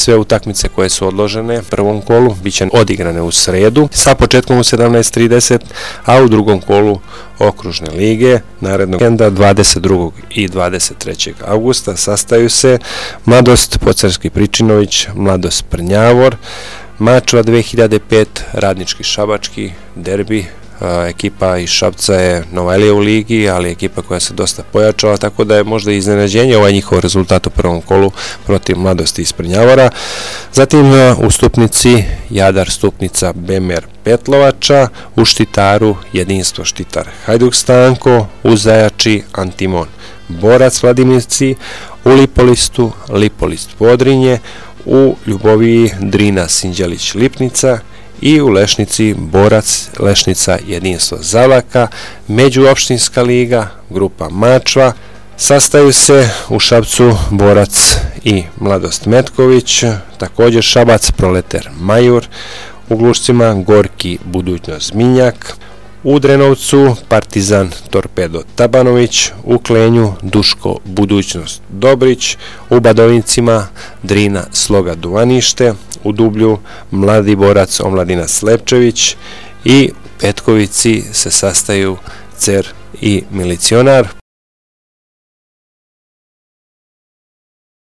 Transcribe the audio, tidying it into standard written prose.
Sve utakmice koje su odložene u prvom kolu bit će odigrane u sredu sa početkom u 17:30, a u drugom kolu okružne lige narednog vikenda 22. i 23. augusta sastaju se Mladost Pocarski Pričinović, Mladost Prnjavor, Mačva 2005, Radnički Šabački, derbi. Ekipa iz Šapca je novajlija u ligi, ali ekipa koja se dosta pojačala, tako da je možda iznenađenje ovaj njihov rezultat u prvom kolu protiv Mladosti iz Prnjavora. Zatim u Stupnici Jadar Stupnica Bemer Petlovača, u Štitaru Jedinstvo Štitar Hajduk Stanko, u Zajači Antimon Borac Vladimirci, u Lipolistu Lipolist Podrinje, u Ljuboviji Drina Sinđelić Lipnica i u Lešnici Borac Lešnica Jedinstvo Zavlaka. Međuopštinska liga, grupa Mačva, sastaju se u Šapcu Borac i Mladost Metković, također Šabac Proleter Majur, u Glušcima Gorki Budućnost Zminjak, u Drenovcu Partizan Torpedo Tabanović, u Klenju Duško Budućnost Dobrić, u Badovincima Drina Sloga Duvanište, u Dublju Mladi Borac Omladina Slepčević i u Petkovici se sastaju Cer i Milicionar.